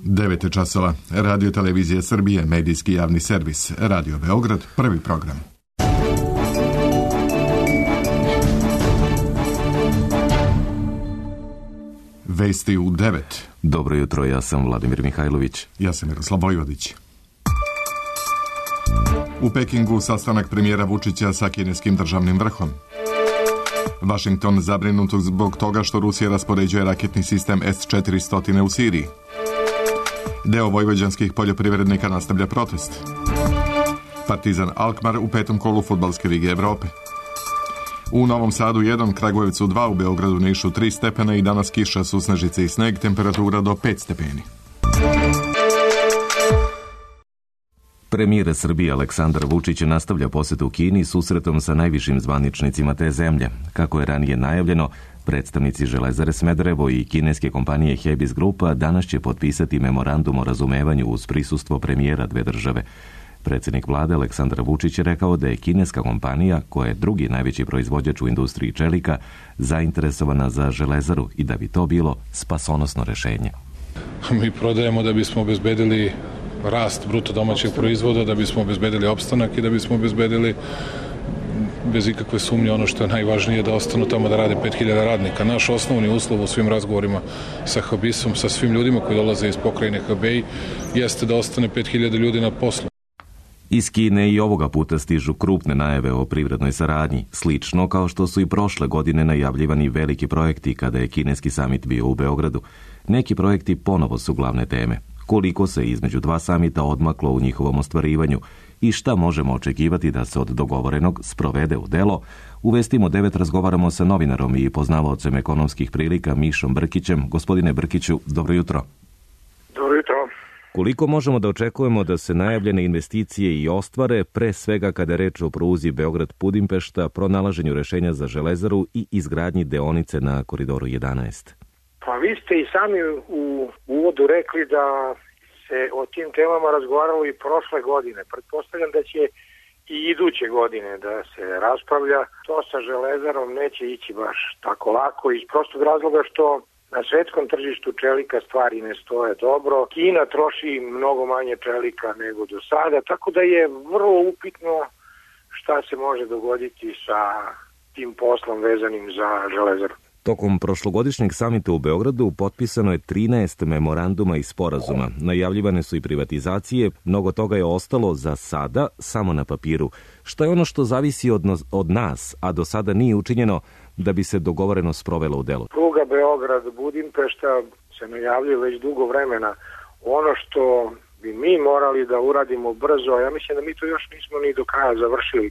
9 časova. Radio Televizija Srbije, medijski javni servis. Radio Beograd, prvi program. Vesti u 9. Dobro jutro, ja sam Vladimir Mihajlović. Ja sam Miroslav Vojvodić. U Pekingu sastanak premijera Vučića sa kineskim državnim vrhom. Vašington zabrinut zbog toga što Rusija raspoređuje raketni sistem S-400 u Siriji. Deo vojvođanskih poljoprivrednika nastavlja protest. Partizan Alkmaar u 5. kolu Fudbalske lige Evrope. U Novom Sadu 1, Kragujevcu 2, u Beogradu, Nišu 3 stepena i danas kiša, susnežice i sneg, temperatura do 5 stepeni. Premijer Srbije Aleksandar Vučić nastavlja posetu Kini susretom sa najvišim zvaničnicima te zemlje. Kako je ranije najavljeno, predstavnici Železare Smederevo i kineske kompanije Hebis Grupa danas će potpisati memorandum o razumevanju uz prisustvo premijera dve države. Predsjednik vlade Aleksandar Vučić je rekao da je kineska kompanija, koja je drugi najveći proizvođač u industriji čelika, zainteresovana za Železaru i da bi to bilo spasonosno rešenje. Mi prodajemo da bismo obezbedili rast bruto domaćeg proizvoda, da bismo obezbedili opstanak i da bismo obezbedili bez ikakve sumnje ono što je najvažnije, da ostanu tamo da rade 5000 radnika. Naš osnovni uslov u svim razgovorima sa Hebisom, sa svim ljudima koji dolaze iz pokrajine Hebei, jeste da ostane 5000 ljudi na poslu. Iz Kine i ovoga puta stižu krupne najave o privrednoj saradnji, slično kao što su i prošle godine najavljivani veliki projekti kada je kineski samit bio u Beogradu. Neki projekti ponovo su glavne teme. Koliko se između dva samita odmaklo u njihovom ostvarivanju i šta možemo očekivati da se od dogovorenog sprovede u delo, u Vestima 9 razgovaramo sa novinarom i poznavaocem ekonomskih prilika Mišom Brkićem. Gospodine Brkiću, dobro jutro. Dobro jutro. Koliko možemo da očekujemo da se najavljene investicije i ostvare, pre svega kada je reč o pruzi Beograd-Budimpešta, pronalaženju rešenja za Železaru i izgradnji deonice na Koridoru 11? Pa vi ste i sami u uvodu rekli da se o tim temama razgovaralo i prošle godine. Pretpostavljam da će i iduće godine da se raspravlja. To sa Železarom neće ići baš tako lako iz prostog razloga što na svetskom tržištu čelika stvari ne stoje dobro. Kina troši mnogo manje čelika nego do sada, tako da je vrlo upitno šta se može dogoditi sa tim poslom vezanim za Železaru. Tokom prošlogodišnjeg samita u Beogradu potpisano je 13 memoranduma i sporazuma. Najavljivane su i privatizacije, mnogo toga je ostalo za sada samo na papiru. Šta je ono što zavisi od nas, a do sada nije učinjeno da bi se dogovoreno sprovelo u delo? Pruga Beograd-Budimpešta se najavljuje već dugo vremena. Ono što bi mi morali da uradimo brzo, ja mislim da mi to još nismo ni do kraja završili.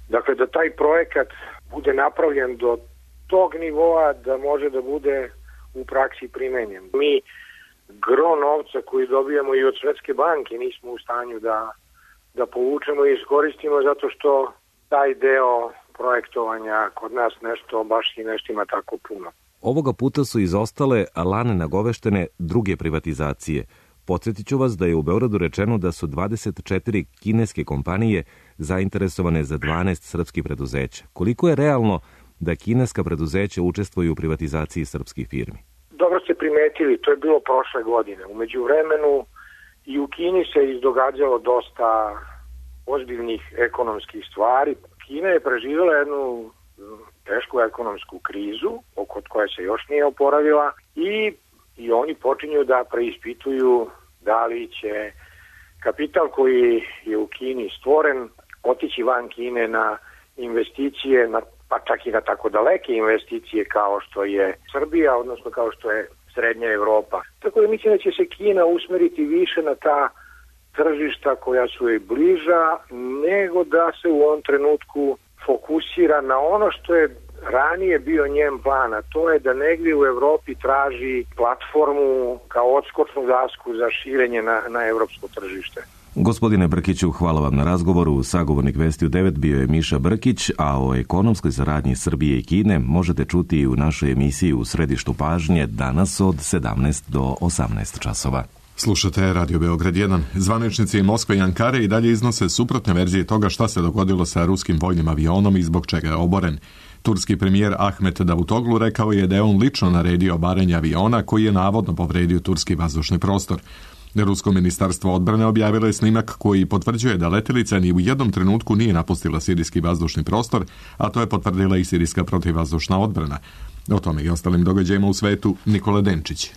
Dakle, da taj projekat bude napravljen do tog nivoa da može da bude u praksi primenjen. Mi gro novca koji dobijamo i od Svetske banke nismo u stanju da povučemo i iskoristimo zato što taj deo projektovanja kod nas nešto baš i nešto ima tako puno. Ovoga puta su izostale lane nagoveštene druge privatizacije. Podsjetit ću vas da je u Beogradu rečeno da su 24 kineske kompanije zainteresovane za 12 srpskih preduzeća. Koliko je realno da kineska preduzeća učestvuju u privatizaciji srpskih firmi? Dobro ste primetili, to je bilo prošle godine. U međuvremenu i u Kini se izdogađalo dosta ozbiljnih ekonomskih stvari. Kina je preživjela jednu tešku ekonomsku krizu, od koje se još nije oporavila i oni počinju da preispituju da li će kapital koji je u Kini stvoren otići van Kine na investicije, pa čak i na tako daleke investicije kao što je Srbija, odnosno kao što je Srednja Evropa. Tako da mislim da će se Kina usmeriti više na ta tržišta koja su joj bliža, nego da se u ovom trenutku fokusira na ono što je ranije bio njen plan, a to je da negdje u Evropi traži platformu kao odskočnu dasku za širenje na evropsko tržište. Gospodine Brkiću, hvala vam na razgovoru. Sagovornik Vesti u 9 bio je Miša Brkić, a o ekonomskoj saradnji Srbije i Kine možete čuti i u našoj emisiji U središtu pažnje danas od 17 do 18 časova. Slušate Radio Beograd 1. Zvaničnici Moskve i Ankare i dalje iznose suprotne verzije toga šta se dogodilo sa ruskim vojnim avionom i zbog čega je oboren. Turski premijer Ahmet Davutoglu rekao je da je on lično naredio obaranje aviona koji je navodno povredio turski vazdušni prostor. Rusko ministarstvo odbrane objavilo je snimak koji potvrđuje da letelica ni u jednom trenutku nije napustila sirijski vazdušni prostor, a to je potvrdila i sirijska protivvazdušna odbrana. O tome i ostalim događajima u svetu Nikola Denčić.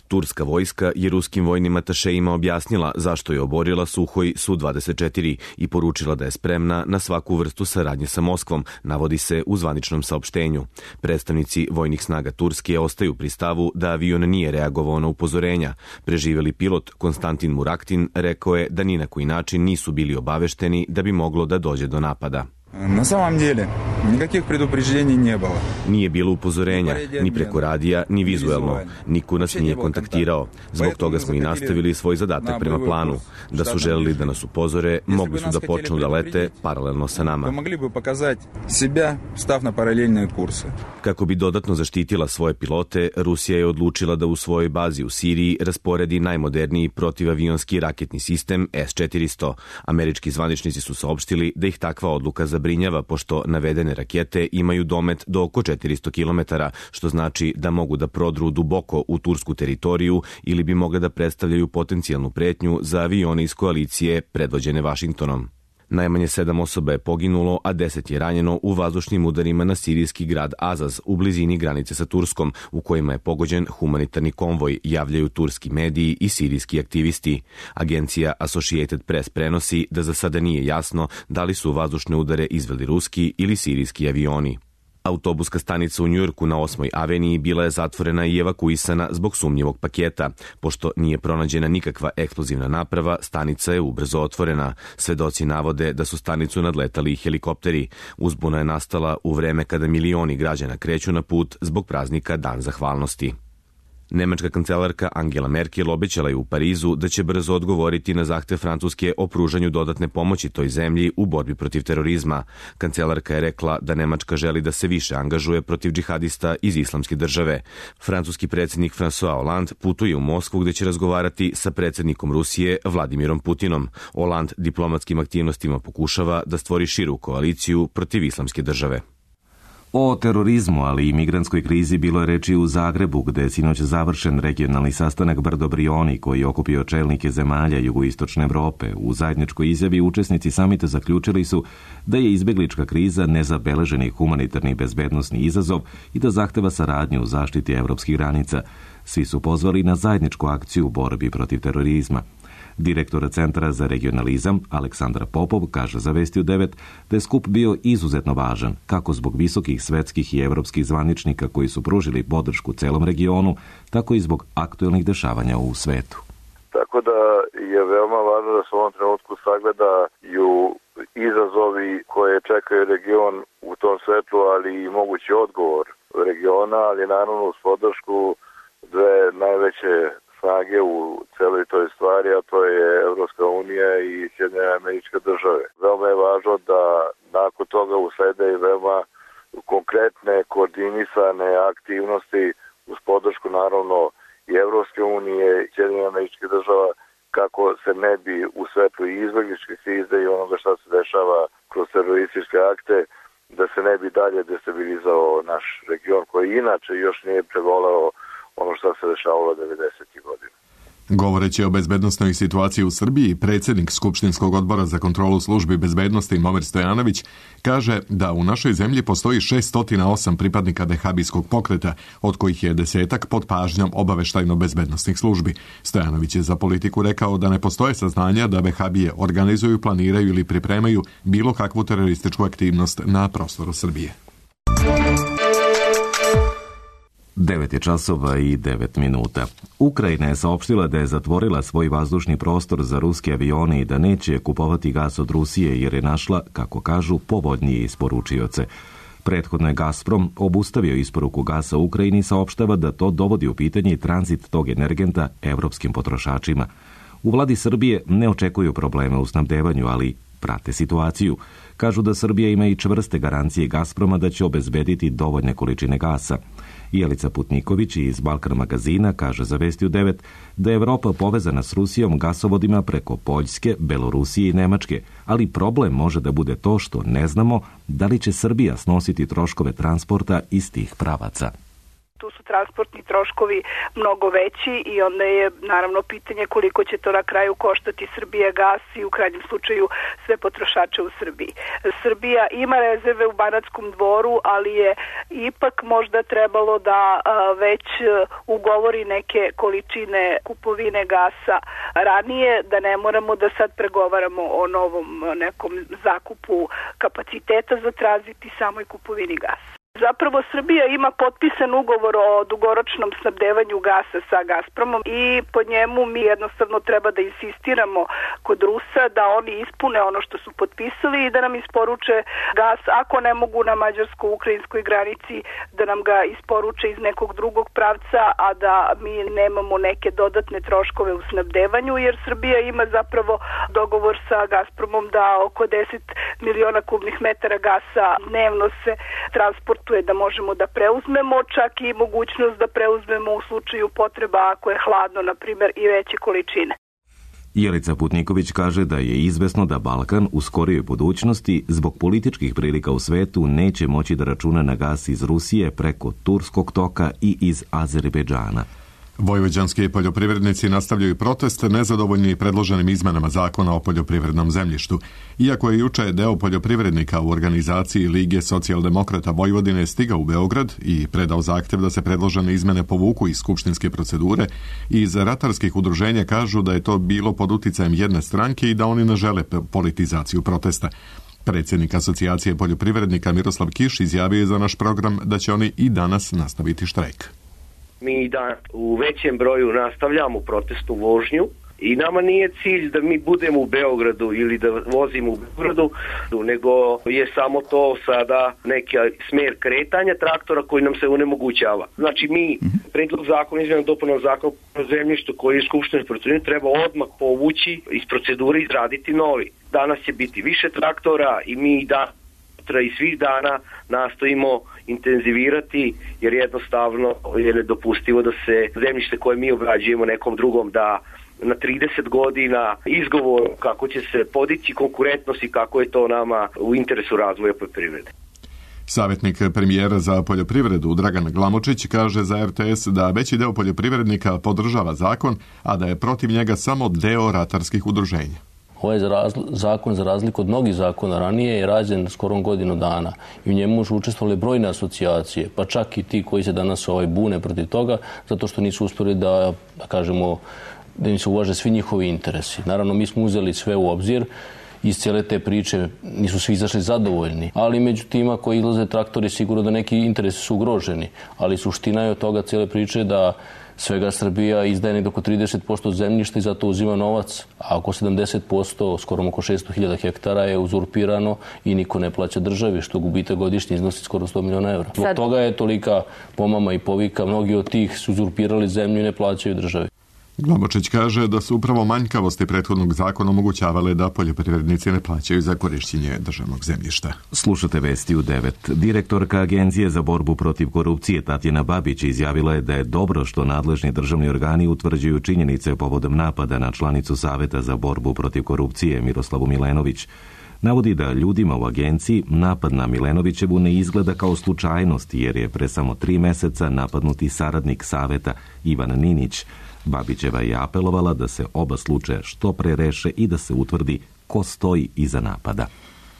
Turska vojska je ruskim vojnim atašejima objasnila zašto je oborila Suhoj Su-24 i poručila da je spremna na svaku vrstu saradnje sa Moskvom, navodi se u zvaničnom saopštenju. Predstavnici vojnih snaga Turske ostaju pri stavu da avion nije reagovao na upozorenja. Preživeli pilot Konstantin Muraktin rekao je da ni na koji način nisu bili obavešteni da bi moglo da dođe do napada. Na samom деле, nikakvih предупреждений не было. Nije bilo upozorenja, ni preko radija, ni vizuelno. Niko nas nije kontaktirao. Zbog toga smo i nastavili svoj zadatak prema planu. Da su želeli da nas upozore, mogli su da počnu da lete paralelno sa nama. Mogli bi pokazati sebe, stav na paralelne kurse. Kako bi dodatno zaštitila svoje pilote, Rusija je odlučila da u svojoj bazi u Siriji rasporedi najmoderniji protivavionski raketni sistem S-400. Američki zvaničnici su saopštili da ih takva odluka zabrinjava, pošto navedene rakete imaju domet do oko 400 km, što znači da mogu da prodru duboko u tursku teritoriju ili bi mogle da predstavljaju potencijalnu pretnju za avione iz koalicije predvođene Vašingtonom. Najmanje 7 osoba je poginulo, a 10 je ranjeno u vazdušnim udarima na sirijski grad Azaz u blizini granice sa Turskom, u kojima je pogođen humanitarni konvoj, javljaju turski mediji i sirijski aktivisti. Agencija Associated Press prenosi da za sada nije jasno da li su vazdušne udare izveli ruski ili sirijski avioni. Autobuska stanica u Njujorku na 8. aveniji bila je zatvorena i evakuisana zbog sumnjivog paketa. Pošto nije pronađena nikakva eksplozivna naprava, stanica je ubrzo otvorena. Svedoci navode da su stanicu nadletali i helikopteri. Uzbuna je nastala u vreme kada milioni građana kreću na put zbog praznika Dan zahvalnosti. Nemačka kancelarka Angela Merkel obećala je u Parizu da će brzo odgovoriti na zahtev Francuske o pružanju dodatne pomoći toj zemlji u borbi protiv terorizma. Kancelarka je rekla da Nemačka želi da se više angažuje protiv džihadista iz Islamske države. Francuski predsjednik François Hollande putuje u Moskvu gdje će razgovarati sa predsjednikom Rusije Vladimirom Putinom. Hollande diplomatskim aktivnostima pokušava da stvori širu koaliciju protiv Islamske države. O terorizmu, ali i migrantskoj krizi bilo je reči u Zagrebu, gde je sinoć završen regionalni sastanak Brdo-Brioni koji je okupio čelnike zemalja jugoistočne Evrope. U zajedničkoj izjavi učesnici samita zaključili su da je izbeglička kriza nezabeleženi humanitarni i bezbednosni izazov i da zahteva saradnju u zaštiti evropskih granica. Svi su pozvali na zajedničku akciju u borbi protiv terorizma. Direktor Centra za regionalizam Aleksandar Popov kaže za Vesti u 9 da je skup bio izuzetno važan, kako zbog visokih svetskih i evropskih zvaničnika koji su pružili podršku celom regionu, tako i zbog aktuelnih dešavanja u svetu. Tako da je veoma važno da se u ovom trenutku sagledaju izazovi koje čekaju region u tom svetlu, ali i mogući odgovor regiona, ali naravno uz podršku dve najveće snage u celoj toj stvari, a to je Evropska unija i Sjedinjene Američke Države. Veoma je važno da nakon toga uslede i veoma konkretne koordinisane aktivnosti uz podršku naravno i Evropske unije i Sjedinjene Američke Država, kako se ne bi u svetlu i izbegličke krize i onoga šta se dešava kroz terorističke akte, da se ne bi dalje destabilizao naš region koji inače još nije preboleo ono što se dešavalo 90. godina. Govoreći o bezbednosnoj situaciji u Srbiji, predsjednik Skupštinskog odbora za kontrolu službi bezbednosti Momir Stojanović kaže da u našoj zemlji postoji 608 pripadnika vehabijskog pokreta, od kojih je 10 pod pažnjom obaveštajno-bezbednosnih službi. Stojanović je za Politiku rekao da ne postoje saznanja da vehabije organizuju, planiraju ili pripremaju bilo kakvu terorističku aktivnost na prostoru Srbije. 9:09. Ukrajina je saopštila da je zatvorila svoj vazdušni prostor za ruske avione i da neće kupovati gas od Rusije jer je našla, kako kažu, povoljnije isporučioce. Prethodno je Gazprom obustavio isporuku gasa Ukrajini i saopštava da to dovodi u pitanje i tranzit tog energenta evropskim potrošačima. U vladi Srbije ne očekuju probleme u snabdevanju, ali prate situaciju. Kažu da Srbija ima i čvrste garancije Gazproma da će obezbediti dovoljne količine gasa. Jelica Putniković iz Balkan magazina kaže za Vesti u 9 da je Evropa povezana s Rusijom gasovodima preko Poljske, Belorusije i Nemačke, ali problem može da bude to što ne znamo da li će Srbija snositi troškove transporta iz tih pravaca. Tu su transportni troškovi mnogo veći i onda je naravno pitanje koliko će to na kraju koštati Srbijagas i u krajnjem slučaju sve potrošače u Srbiji. Srbija ima rezerve u Banatskom Dvoru, ali je ipak možda trebalo da već ugovori neke količine kupovine gasa ranije, da ne moramo da sad pregovaramo o novom nekom zakupu kapaciteta za tranzit i samoj kupovini gasa. Zapravo Srbija ima potpisan ugovor o dugoročnom snabdevanju gasa sa Gazpromom i po njemu mi jednostavno treba da insistiramo kod Rusa da oni ispune ono što su potpisali i da nam isporuče gas, ako ne mogu na mađarsko-ukrajinskoj granici, da nam ga isporuče iz nekog drugog pravca, a da mi nemamo neke dodatne troškove u snabdevanju, jer Srbija ima zapravo dogovor sa Gazpromom da oko 10 miliona kubnih metara gasa dnevno se transportuje da možemo da preuzmemo, čak i mogućnost da preuzmemo u slučaju potreba ako je hladno, na primjer, i veće količine. Jelica Putniković kaže da je izvesno da Balkan u skorijoj budućnosti zbog političkih prilika u svetu neće moći da računa na gas iz Rusije preko Turskog toka i iz Azerbejdžana. Vojvođanski poljoprivrednici nastavljaju protest nezadovoljni predloženim izmenama zakona o poljoprivrednom zemljištu. Iako je juče deo poljoprivrednika u organizaciji Lige socijaldemokrata Vojvodine stigao u Beograd i predao zahtev da se predložene izmene povuku iz skupštinske procedure, iz ratarskih udruženja kažu da je to bilo pod uticajem jedne stranke i da oni ne žele politizaciju protesta. Predsjednik Asocijacije poljoprivrednika Miroslav Kiš izjavio je za naš program da će oni i danas nastaviti štrajk. Mi da u većem broju nastavljamo protestnu vožnju i nama nije cilj da mi budemo u Beogradu ili da vozimo u Beogradu, nego je samo to sada neki smer kretanja traktora koji nam se onemogućava. Znači mi predlog zakona, izmjena dopuna zakona o zemljištu koji je skupštinski procedura treba odmah povući iz procedure i izraditi novi. Danas će biti više traktora i mi i svih dana nastojimo intenzivirati, jer jednostavno je nedopustivo da se zemljište koje mi obrađujemo nekom drugom da na 30 godina izgovor kako će se podići konkurentnost i kako je to nama u interesu razvoja poljoprivrede. Savjetnik premijera za poljoprivredu Dragan Glamočić kaže za RTS da veći deo poljoprivrednika podržava zakon, a da je protiv njega samo deo ratarskih udruženja. Ovaj zakon, za razliku od mnogih zakona ranije, je rađen skorom godinu dana i u njemu su učestvovali brojne asocijacije, pa čak i ti koji se danas bune protiv toga, zato što nisu uspjeli da kažemo, da im se uvaže svi njihovi interesi. Naravno, mi smo uzeli sve u obzir. Iz cijele te priče nisu svi izašli zadovoljni, ali među tima koji izlaze traktori sigurno da neki interesi su ugroženi, ali suština je od toga cijele priče da svega Srbija izdaje negdje oko 30% zemljišta i zato uzima novac, a oko 70%, skoro oko 600.000 hektara je uzurpirano i niko ne plaća državi, što gubitak godišnje iznosi skoro 100 miliona evra. Zbog toga je tolika pomama i povika, mnogi od tih su uzurpirali zemlju i ne plaćaju državi. Glamočić kaže da su upravo manjkavosti prethodnog zakona omogućavale da poljoprivrednici ne plaćaju za korišćenje državnog zemljišta. Slušate Vesti u 9. Direktorka Agencije za borbu protiv korupcije Tatjana Babić izjavila je da je dobro što nadležni državni organi utvrđuju činjenice povodom napada na članicu Saveta za borbu protiv korupcije Miroslavu Milenović. Navodi da ljudima u agenciji napad na Milenovićevu ne izgleda kao slučajnost, jer je pre samo 3 meseca napadnuti saradnik Saveta Ivan Ninić. Babićeva je apelovala da se oba slučaja što pre reše i da se utvrdi ko stoji iza napada.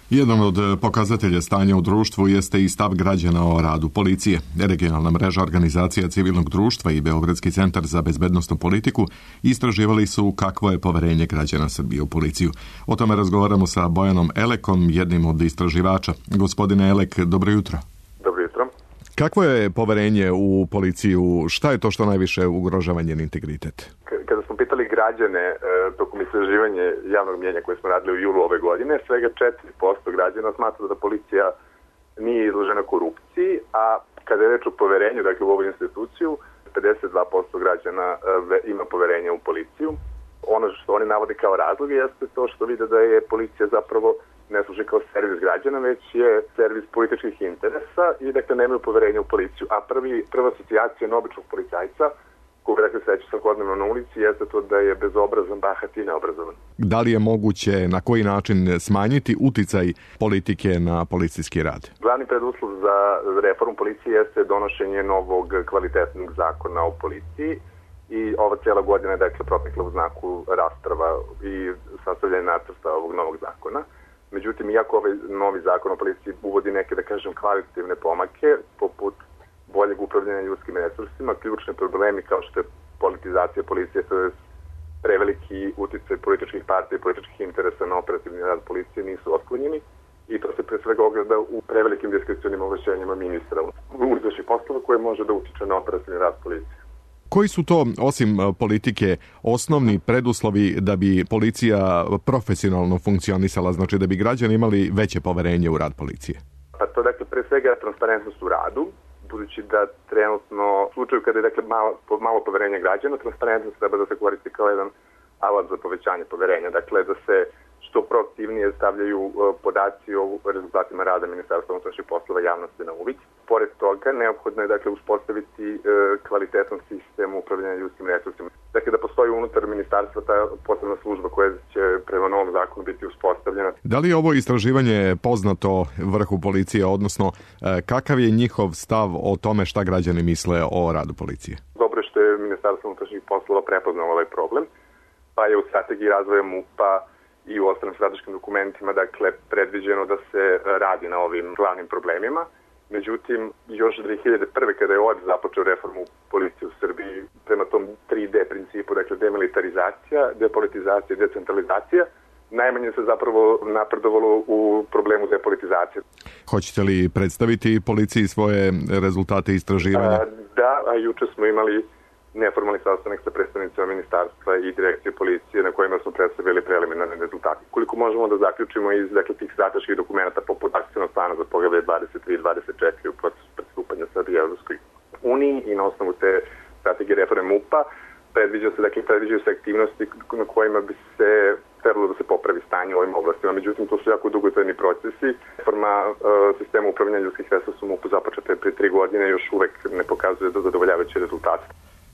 Jedan od pokazatelja stanja u društvu jeste i stav građana o radu policije. Regionalna mreža organizacija civilnog društva i Beogradski centar za bezbednosnu politiku istraživali su kakvo je poverenje građana Srbije u policiju. O tome razgovaramo sa Bojanom Elekom, jednim od istraživača. Gospodine Elek, dobro jutro. Dobro jutro. Kakvo je poverenje u policiju? Šta je to što najviše ugrožava njen integritet? Kada smo pitali građane tokom istraživanja javnog mnjenja koje smo radili u julu ove godine, svega 4% građana smatra da policija nije izložena korupciji, a kada je reč o poverenju, dakle u ovu instituciju, 52% građana ima poverenje u policiju. Ono što oni navode kao razloge jeste to što vide da je policija zapravo ne služi kao servis građana, već je servis političkih interesa i dakle nemaju poverenja u policiju. A prva asocijacija na običnog policajca, koga dakle sreću svakodnevno na ulici, jeste to da je bezobrazan, bahat i neobrazovan. Da li je moguće na koji način smanjiti uticaj politike na policijski rad? Glavni preduslov za reformu policije jeste donošenje novog kvalitetnog zakona o policiji i ova cijela godina je dakle protekla u znaku rasprava i sastavljanja nacrta ovog novog zakona. Međutim, iako ovaj novi zakon o policiji uvodi neke, da kažem, kvalitativne pomake, poput boljeg upravljanja ljudskim resursima, ključni problemi kao što je politizacija policije, to je preveliki uticaj političkih partija i političkih interesa na operativni rad policije nisu otklonjeni i to se pre svega ogleda u prevelikim diskrecionim ovlašćenjima ministra u izvršnih poslova koje može da utiče na operativni rad policije. Koji su to, osim politike, osnovni preduslovi da bi policija profesionalno funkcionisala, znači da bi građani imali veće poverenje u rad policije? Pa to dakle pre svega transparentnost u radu, budući da trenutno u slučaju kada je dakle malo poverenja građana, transparentnost treba da se koristi kao jedan alat za povećanje poverenja, dakle da se što proaktivnije stavljaju podaci o rezultatima rada Ministarstva unutrašnjih poslova javnosti na uvid. Pored toga, neophodno je dakle uspostaviti kvalitetan sistem upravljanja ljudskim resursima. Dakle, da postoji unutar ministarstva ta posebna služba koja će prema novom zakonu biti uspostavljena. Da li je ovo istraživanje poznato vrhu policije, odnosno kakav je njihov stav o tome šta građani misle o radu policije? Dobro je što je Ministarstvo unutrašnjih poslova prepoznalo ovaj problem, pa je u strategiji razvoja MUP-a i u ostalim strateškim dokumentima, dakle, predviđeno da se radi na ovim glavnim problemima. Međutim, još 2001. kada je OEBS započeo reformu policije u Srbiji prema tom 3D principu, dakle, demilitarizacija, depolitizacija i decentralizacija, najmanje se zapravo napredovalo u problemu depolitizacije. Hoćete li predstaviti policiji svoje rezultate istraživanja? Da, a juče smo imali neformalni sastanak sa predstavnicima ministarstva i direkcije policije na kojima smo predstavili preliminarne rezultate. Koliko možemo da zaključimo iz tih strateških dokumenta poput akcionog plana za poglavlje 23 i 24 u procesu pristupanja Srbije Evropskoj uniji i na osnovu te strategije reforme MUP-a predviđaju se aktivnosti na kojima bi se trebalo da se popravi stanje u ovim oblastima. Međutim, to su jako dugotrajni procesi. Reforma sistema upravljanja ljudskih resursa u MUP-u započeta je pre 3 godine i još uvek ne pokazuje da zadovoljavajuće rezultate.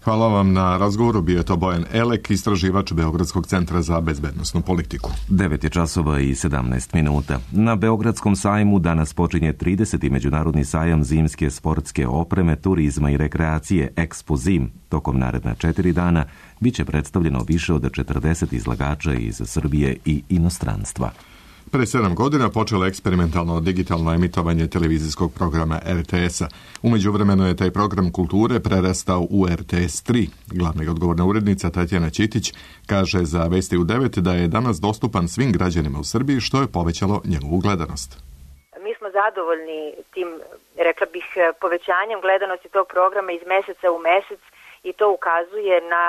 Hvala vam na razgovoru, bio je to Bojan Elek, istraživač Beogradskog centra za bezbednosnu politiku. 9:17. Na Beogradskom sajmu danas počinje 30. međunarodni sajam zimske sportske opreme, turizma i rekreacije Expo Zim. Tokom naredna 4 dana biće predstavljeno više od 40 izlagača iz Srbije i inostranstva. Pre 7 godina počelo eksperimentalno digitalno emitovanje televizijskog programa RTS-a. U međuvremenu je taj program kulture prerastao u RTS 3. Glavna i odgovorna urednica Tatjana Ćitić kaže za Vesti u 9 da je danas dostupan svim građanima u Srbiji, što je povećalo njegovu gledanost. Mi smo zadovoljni tim, rekla bih, povećanjem gledanosti tog programa iz meseca u mesec i to ukazuje na,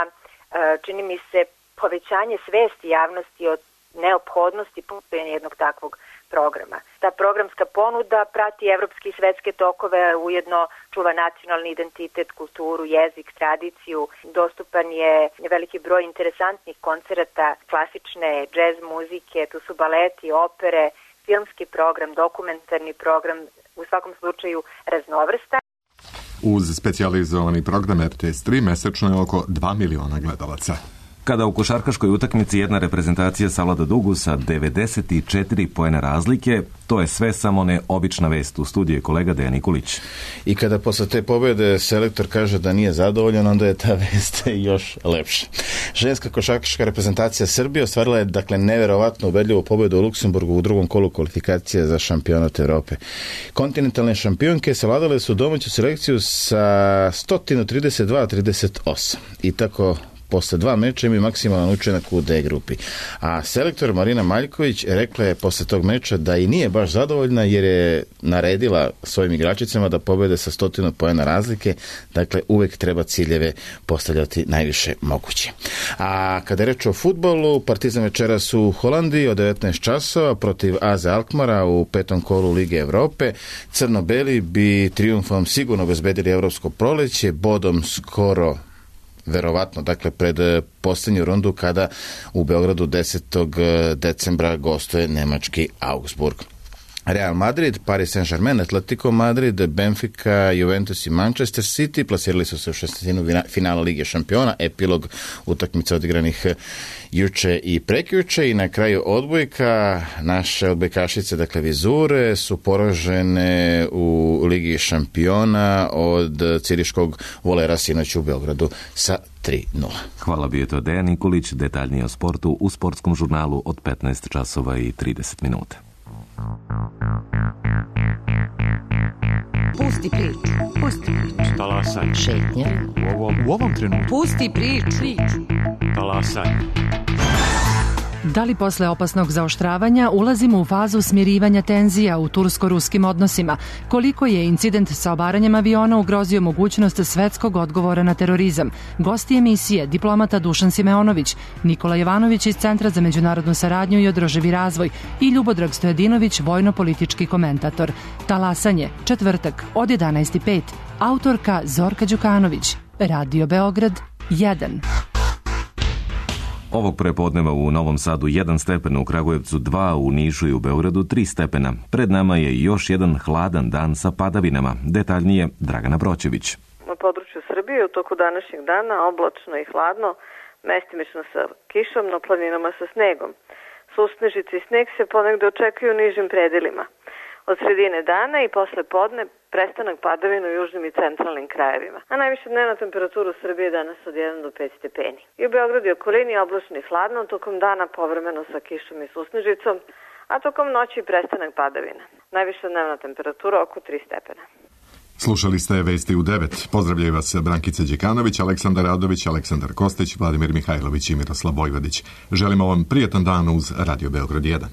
čini mi se, povećanje svesti javnosti od neophodnosti postojanja jednog takvog programa. Ta programska ponuda prati evropske i svetske tokove, ujedno čuva nacionalni identitet, kulturu, jezik, tradiciju. Dostupan je veliki broj interesantnih koncerata, klasične džez muzike, tu su baleti, opere, filmski program, dokumentarni program, u svakom slučaju raznovrstan. Uz specijalizovani program RTS 3 mesečno je oko 2 miliona gledalaca. Kada u košarkaškoj utakmici jedna reprezentacija savlada dugu sa 94 poena razlike, to je sve samo ne obična vest. U studiju je kolega Dejan Nikolić. I kada posle te pobjede selektor kaže da nije zadovoljan, onda je ta vest još lepša. Ženska košarkaška reprezentacija Srbije ostvarila je neverovatno ubedljivu pobjedu u Luksemburgu u drugom kolu kvalifikacije za šampionat Evrope. Kontinentalne šampionke savladale su domaću selekciju sa 132-38 i tako posle 2 meča imaju maksimalan učinak u D grupi. A selektor Marina Maljković rekla je posle tog meča da i nije baš zadovoljna jer je naredila svojim igračicama da pobede sa 100 poena razlike. Dakle, uvek treba ciljeve postavljati najviše moguće. A kada je reč o fudbalu, Partizan večeras u Holandiji od 19 časova protiv AZ Alkmara u 5. kolu Lige Evrope. Crno-beli bi trijumfom sigurno obezbedili evropsko proleće, bodom skoro verovatno, dakle, pred posljednju rundu kada u Beogradu 10. decembra gostuje nemački Augsburg. Real Madrid, Paris Saint-Germain, Atletico Madrid, Benfica, Juventus i Manchester City plasirali su se u 16. finala Lige šampiona, epilog utakmica odigranih juče i prekjuče i na kraju odbojka naše odbojkašice, dakle Vizure, su poražene u Ligi šampiona od Ciriškog Volera sinoć u Beogradu sa 3:0. Hvala, bio je to Dejan Nikolić, detaljnije o sportu u sportskom žurnalu od 15 časova i 30 minuta. Pusti priču. Pusti priču. Talasaj. Šetnja. U ovom trenutku. Pusti priču. Talasaj. Da li posle opasnog zaoštravanja ulazimo u fazu smirivanja tenzija u tursko-ruskim odnosima? Koliko je incident sa obaranjem aviona ugrozio mogućnost svetskog odgovora na terorizam? Gosti emisije, diplomata Dušan Simeonović, Nikola Jovanović iz Centra za međunarodnu saradnju i održivi razvoj i Ljubodrag Stojadinović, vojno-politički komentator. Talasanje, četvrtak od 11:05. Autorka Zorka Đukanović. Radio Beograd 1. Ovog prepodneva u Novom Sadu 1 stepen, u Kragujevcu 2, u Nišu i u Beogradu 3 stepena. Pred nama je još jedan hladan dan sa padavinama. Detaljnije Dragana Broćević. Na području Srbije u toku današnjeg dana oblačno i hladno, mestimično sa kišom, na planinama sa snegom. Susnežice i sneg se ponegde očekuju u nižim predelima. Od sredine dana i posle podne prestanak padavina u južnim i centralnim krajevima. A najviša dnevna temperatura u Srbiji je danas od 1 do 5 stepeni. I u Beogradu i okolini oblačno i hladno, tokom dana povremeno sa kišom i susnežicom, a tokom noći prestanak padavina. Najviša dnevna temperatura oko 3 stepena. Slušali ste Vesti u 9. Pozdravljaju vas Brankica Đekanović, Aleksandar Radović, Aleksandar Kostić, Vladimir Mihajlović i Miroslav Vojvodić. Želimo vam prijetan dan uz Radio Beograd 1.